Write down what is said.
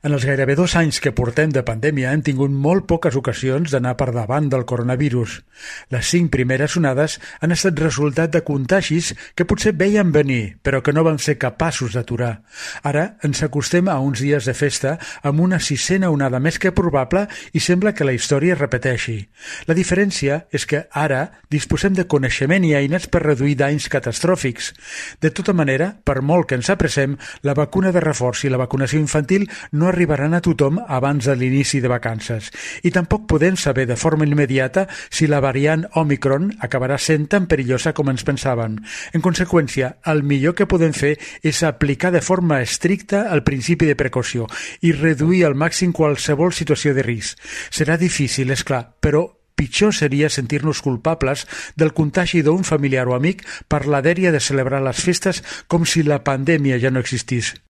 En els gairebé 2 anys que portem de pandèmia hem tingut molt poques ocasions d'anar per davant del coronavirus. Les 5 primeres onades han estat resultat de contagis que potser veien venir, però que no vam ser capaços d'aturar. Ara ens acostem a uns dies de festa amb una 6a onada més que probable i sembla que la història es repeteixi. La diferència és que ara disposem de coneixement i eines per reduir danys catastròfics. De tota manera, per molt que ens apressem, la vacuna de reforç i la vacunació infantil no arribaran a tothom abans de l'inici de vacances i tampoc podem saber de forma immediata si la variant Omicron acabarà sent tan perillosa com ens pensaven. En conseqüència, el millor que podem fer és aplicar de forma estricta el principi de precaució i reduir al màxim qualsevol situació de risc. Serà difícil, és clar, però pitjor seria sentir-nos culpables del contagi d'un familiar o amic per la dèria de celebrar les festes com si la pandèmia ja no existís.